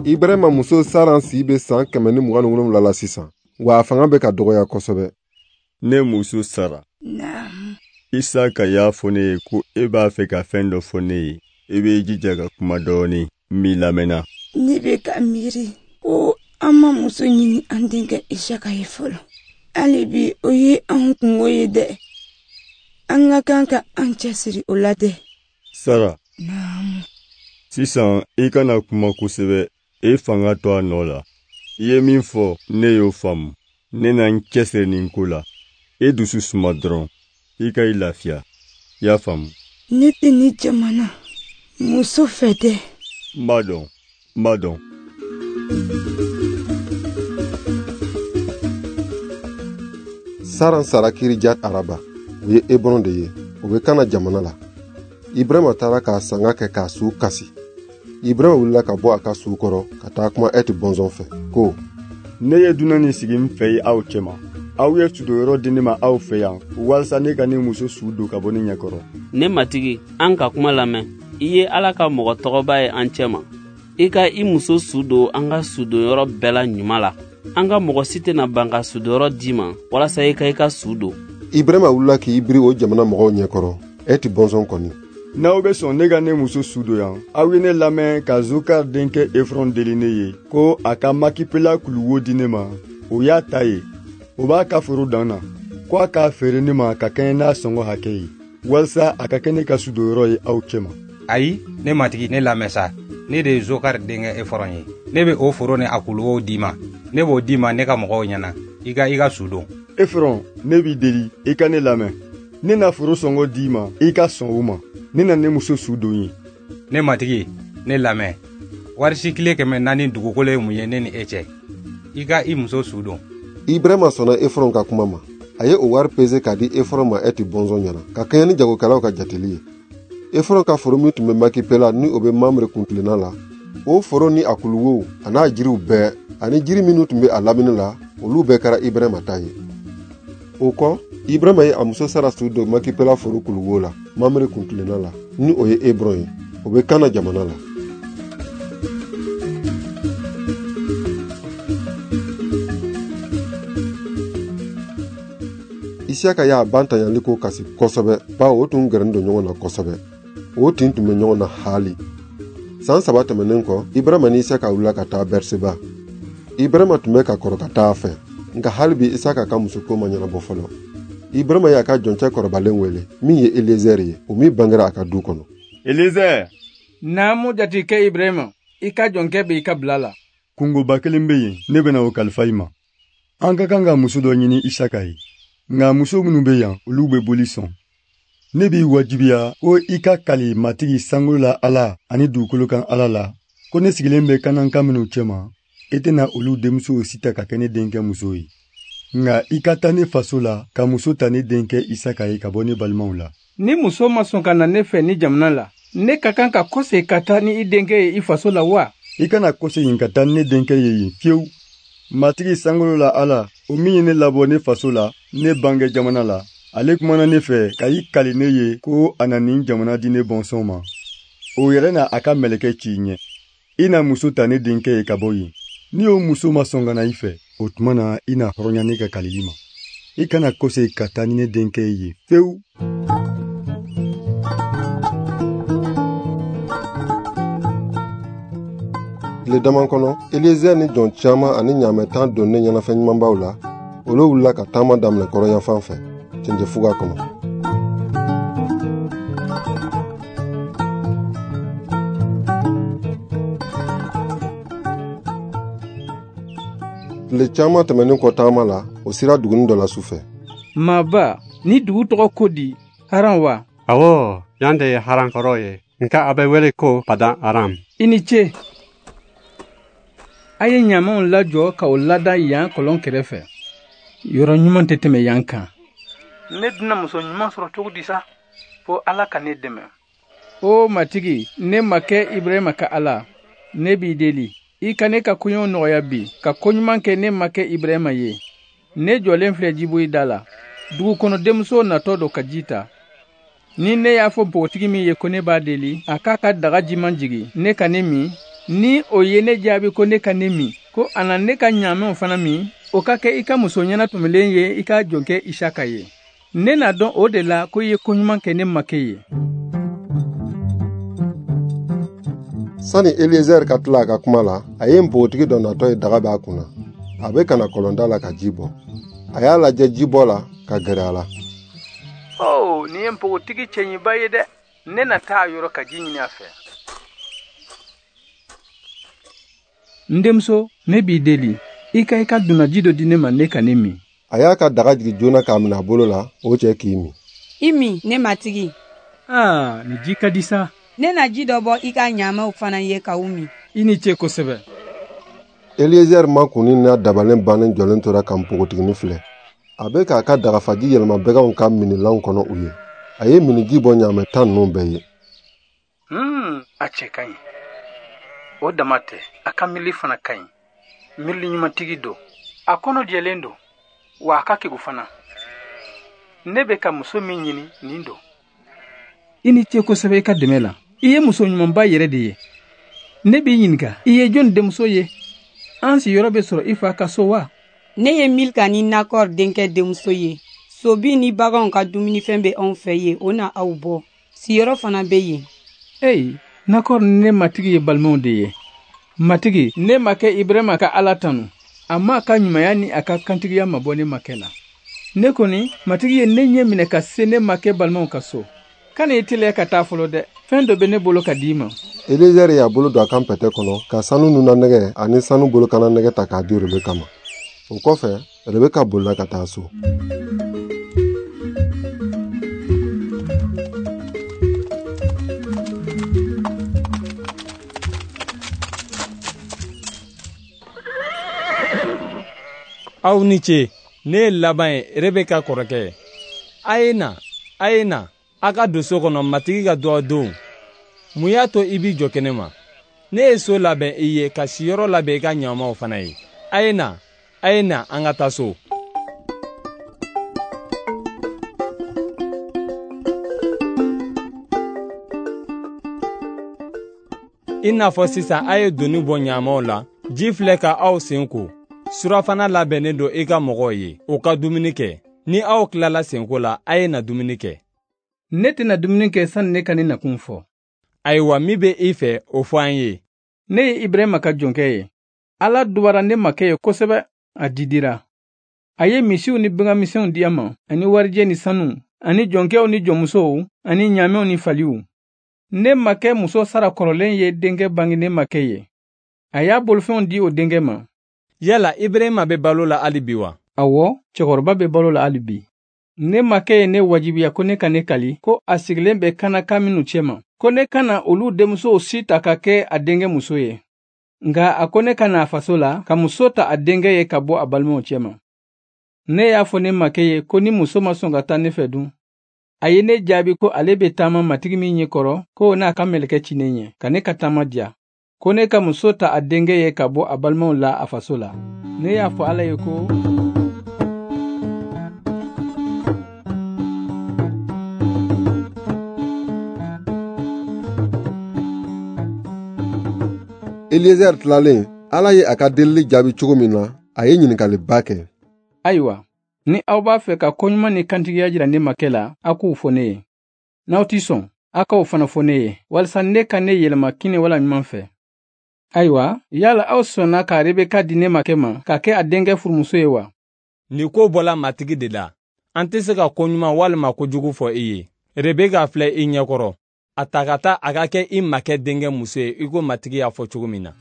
Ibrahima muso Saran si bɛ san 127 la sisan, wa a fanga bɛ ka dɔgɔya kosɛbɛ. Ne muso Sara. Naamu. Isaka y'a fɔ ne ye ko e b'a fɛ ka fɛn dɔ fɔ ne ye. E b'i jija ka kuma dɔɔnin, n b'i lamɛnna. Ne bɛ ka miiri ko an ma muso ɲini an denkɛ Isaka ye fɔlɔ. Hali bi o ye an kungo ye dɛ. An ka kan ka an cɛsiri o la dɛ. Sara. Naamu. Sisan i kana kuma kosɛbɛ, e fanga to a nɔ la. I ye min fɔ, ne y'o faamu. Ne na n cɛsiri nin ko la. E dusu suma dɔrɔn, i ka i lafiya. I y'a faamu? Ne tɛ ni jamana muso fɛ dɛ. N b'a dɔn, n b'a dɔn. Saran sara Kirijat Araba, o ye Ebron de ye, o bɛ Kana jamana la. Ibrahima taara k'a sanga kɛ k'a su kasi. Ibrahima wulila ka bɔ a ka su kɔrɔ ka taa kuma Ɛti bɔnsɔn fɛ ko: Ne ye dunan nin sigi n fɛ yen aw cɛma. Aw ye sudonyɔrɔ di ne ma aw fɛ yan walasa ne ka ne muso su don ka bɔ ne ɲɛkɔrɔ. Ne matigi, an ka kuma lamɛn. I ye Ala ka mɔgɔ tɔgɔba ye an cɛma. I ka i muso su don an ka sudonyɔrɔ bɛɛ la ɲuman la. An ka mɔgɔ si tɛna ban ka sudonyɔrɔ d'i ma walasa i ka i ka su don. Ibrahima wulila k'i biri o jamana mɔgɔw ɲɛkɔrɔ, Ɛti bɔnsɔn kɔni. N'aw bɛ sɔn ne ka ne muso su don yan, aw ye ne lamɛn ka Zokar denkɛ Efrɔn deli ne ye ko a ka Makipela kuluwo di ne ma. O y'a ta ye, o b'a ka foro dan na, ko a k'a feere ne ma ka kɛɲɛ n'a sɔngɔ hakɛ ye, walasa a ka kɛ ne ka sudonyɔrɔ ye aw cɛma. Ayi, ne matigi, ne lamɛn sa. Ne de ye Zokar denkɛ Efrɔn ye. Ne bɛ o foro ni a kuluwow d'i ma. Ne b'o d'i ma ne ka mɔgɔw ɲɛna. I ka i ka su don. Efrɔn, ne b'i deli, i ka ne lamɛn. Ne na foro sɔngɔ d'i ma, i ka sɔn o ma. Ne na ne muso su don ye. Ne matigi, ne lamɛn. Wari sikile 400 dugukolo ye mun ye ne ni e cɛ? I ka i muso su don. Ibrahima sɔnna Efrɔn ka kuma ma. A ye o wari pese k'a di Efrɔn ma Ɛti bɔnsɔn ɲɛna, ka kɛɲɛ ni jagokɛlaw ka jateli ye. Efrɔn ka foro min tun bɛ Makipela ni o bɛ Mamre kuntilenna la, o foro ni a kuluwow a n'a jiriw bɛɛ ani jiri minnu tun bɛ a lamini la, olu bɛɛ kɛra Ibrahima ta ye. O kɔ, Ibrahima ye a muso Sara su don Makipela foro kuluwo la, Mamre kuntilenna la, ni o ye Ebron ye, o bɛ Kana jamana la. Isiyaka y'a ba ntanyali ko kasi kosɛbɛ, bawo o tun gɛrɛnen don ɲɔgɔn na kosɛbɛ. O tin tun bɛ ɲɔgɔn na haali. San 3 tɛmɛnen kɔ, Ibrahima ni Isaka wulila ka taa Berseba. Ibrahima tun bɛ ka kɔrɔ ka taa a fɛ, nka hali bi Isaka ka musoko ma ɲɛnabɔ fɔlɔ. Ibrahima y'a ka jɔncɛ kɔrɔbalen wele, min ye Eliezer ye, o min bangera a ka du kɔnɔ. Eliezer! Naamu jatigikɛ Ibrahima, i ka jɔnkɛ bɛ i ka bila la. Kungoba kelen bɛ yen, ne bɛna o kalifa i ma. An ka kan ka muso dɔ ɲini Isaka ye. Nka muso minnu bɛ yan, olu bɛ boli sɔn. Ne b'i wajibiya ko i ka kali Matigi sankolo la Ala ani dugukolo kan Ala la, ko ne sigilen bɛ Kananka minnu cɛma, e tɛna olu denmusow si ta ka kɛ ne denkɛ muso ye. Nka i ka taa ne faso la ka muso ta ne denkɛ Isaka ye ka bɔ ne balimaw la. Ni muso ma sɔn ka na ne fɛ ni jamana la, ne ka kan ka kɔsegin ka taa ni i denkɛ ye i faso la wa? I kana kɔsegin ka taa ni ne denkɛ ye yen fiyewu. Matigi sankolo la Ala, o min ye ne labɔ ne faso la, ne bange jamana la, ale kumana ne fɛ ka i kali ne ye ko a na nin jamana di ne bɔnsɔn ma. O yɛrɛ na a ka mɛlɛkɛ ci i ɲɛ. I na muso ta ne denkɛ ye ka bɔ yen. Ni o muso ma sɔn ka na i fɛ, o tuma na i na hɔrɔnya ne ka kalili ma. I kana kɔsegin ka taa ni ne denkɛ ye yen fewu. Tile dama kɔnɔ, Eliezer ni jɔn caman ani ɲaamɛ 10 donnen ɲɛnafɛn ɲumanbaw la, olu wulila ka taama daminɛ kɔrɔnyanfan fɛ, cɛncɛnfuga kɔnɔ. Tile caman tɛmɛnen kɔ taama la, o sera duguni dɔ la su fɛ. Maaba, ni dugu tɔgɔ ko di, Haran wa? Awɔ, yan de ye Haran kɔrɔ ye, nka a bɛ wele ko Padan Aram. I ni ce. A ye ɲamanw lajɔ ka o lada yan kɔlɔn kɛrɛfɛ. Yɔrɔ ɲuman tɛ tɛmɛ yan kan. Ne dun muso ɲuman sɔrɔ cogo di sa? Fo Ala ka ne dɛmɛ. O Matigi, ne ma kɛ Ibrahima ka Ala, ne b'i deli. I ka ne ka koɲɛw nɔgɔya bi, ka koɲuman kɛ ne ma kɛ Ibrahima ye. Ne jɔlen filɛ jiboyi da la. Dugu kɔnɔ denmuso natɔ don ka ji ta. Ni ne y'a fɔ npogotigi min ye ko ne b'a deli, a k'a ka daga jiman jigin, ne ka ne min, Ni o ye ne jaabi ko ne ka ne min, ko a na ne ka ɲaamɛw fana min, o ka kɛ i ka muso ɲɛnatɔmɔlen ye i ka jɔnkɛ Isaka ye. Ne n'a dɔn o de la ko i ye koɲuman kɛ ne makɛ ye. Sani Eliezer ka tila a ka kuma la, a ye npogotigi dɔ natɔ ye daga b'a kunna. A bɛ ka na kɔlɔnda la ka ji bɔ. A y'a lajɛ jibɔ la ka gɛrɛ a la. Oh, nin ye npogotigi cɛɲiba ye dɛ. Ne na taa a yɔrɔ ka ji ɲini a fɛ. N denmuso, ne b'i deli, i ka i ka dunnaji dɔ di ne ma ne ka ne min. A y'a ka daga jigin joona k'a minɛ a bolo la, o cɛ k'i min. I min, ne matigi. Aa, nin ji ka di sa. Ne na ji dɔ bɔ i ka ɲaamɛw fana ye ka u min. I ni ce kosɛbɛ. Eliezer makunni n'a dabalen bannen jɔlen tora ka npogotiginin filɛ. A bɛ k'a ka dagafaji yɛlɛma baganw ka minilanw kɔnɔ u ye. A ye miniji bɔ ɲaamɛ 10 ninnu bɛɛ ye. A cɛ ka ɲi. O dama tɛ, a ka miirili fana ka ɲi. Miirili ɲumantigi don. A kɔnɔ jɛlen don, wa a ka kegu fana. Ne bɛ ka muso min ɲini nin don. I ni ce kosɛbɛ i ka dɛmɛ la. I ye muso ɲumanba yɛrɛ de ye. Ne b'i ɲininka, i ye jɔni denmuso ye? An siyɔrɔ bɛ sɔrɔ i fa ka so wa? Ne ye Milka ni Nakɔr denkɛ denmuso ye. Sobi ni baganw ka dumunifɛn bɛ anw fɛ yen, o na aw bɔ. Siyɔrɔ fana bɛ yen. Eyi, Nakɔr ni ne matigi ye balimaw de ye. Matigi, ne makɛ Ibrahima ka Ala tanu. A ma a ka ɲumanya ni a ka kantigiya mabɔ ne makɛ la. Ne kɔni, matigi ye ne ɲɛ minɛ ka se ne makɛ balimaw ka so. Kana i teliya ka taa fɔlɔ dɛ. Fɛn dɔ bɛ ne bolo ka d'i ma. Eliezer y'a bolo don a kan pɛtɛ kɔnɔ ka sanu nunanɛgɛ ani sanu bolokananɛgɛ ta k'a di Rebeka ma. O kɔfɛ, Rebeka bolila ka taa so. Aw ni ce, ne ye Laban ye, Rebeka kɔrɔkɛ ye. A ye na, a ye na, a ka don so kɔnɔ matigi ka duwawu don. Mun y'a to i b'i jɔ kɛnɛ ma? Ne ye so labɛn i ye ka siyɔrɔ labɛn i ka ɲaamaw fana ye. A ye na, a ye na, an ka taa so. I n'a fɔ sisan a ye doni bɔ ɲaamaw la, ji filɛ ka aw sen ko. Surafana labɛnnen don i ka mɔgɔw ye, u ka dumuni kɛ. Ni aw tilala senko la, a ye na dumuni kɛ. Ne tɛna dumuni kɛ sani ne ka ne nakun fɔ. Ayiwa, min bɛ i fɛ, o fɔ an ye. Ne ye Ibrahima ka jɔnkɛ ye. Ala dubara ne makɛ ye kosɛbɛ, a didira. A ye misiw ni baganmisɛnw di a ma, ani warijɛ ni sanu, ani jɔnkɛw ni jɔnmusow, ani ɲaamɛw ni faliw. Ne makɛ muso Sara kɔrɔlen ye denkɛ bange ne makɛ ye. A y'a bolofɛnw di o denkɛ ma. Yala Ibrahima bɛ balo la hali bi wa? Awɔ, cɛkɔrɔba bɛ balo la hali bi. Ne makɛ ye ne wajibiya ko ne ka ne kali, ko a sigilen bɛ Kanaka minnu cɛma, ko ne kana olu denmusow si ta ka kɛ a denkɛ muso ye. Nka a ko ne ka na a faso la ka muso ta a denkɛ ye ka bɔ a balimaw cɛma. Ne y'a fɔ ne makɛ ye ko ni muso ma sɔn ka taa ne fɛ dun. A ye ne jaabi ko ale bɛ taama matigi min ɲɛ kɔrɔ, ko n'a ka mɛlɛkɛ ci ne ɲɛ, ka ne ka taama diya. Ko ne ka muso ta a denkɛ ye ka bɔ a balimaw la a faso la. Ne y'a fɔ Ala ye ko Eliezer tilalen, Ala ye a ka delili jaabi cogo min na, a ye ɲininkaliba kɛ. Ayiwa, ni aw b'a fɛ ka koɲuman ni kantigiya jira ne makɛ la, aw k'o fɔ ne ye. N'aw ti sɔn, aw k'o fana fɔ ne ye, walisa ne ka ne yɛlɛma kini wala ɲuman fɛ. Ayiwa, yala aw sɔnna ka Rebeka di ne makɛ ma ka kɛ a denkɛ furumuso ye wa? Nin ko bɔla matigi de la. An tɛ se ka koɲuman walima kojugu fɔ i ye. Rebeka filɛ i ɲɛkɔrɔ. A ta ka taa a ka kɛ i makɛ denkɛ muso ye i ko matigi y'a fɔ cogo min na.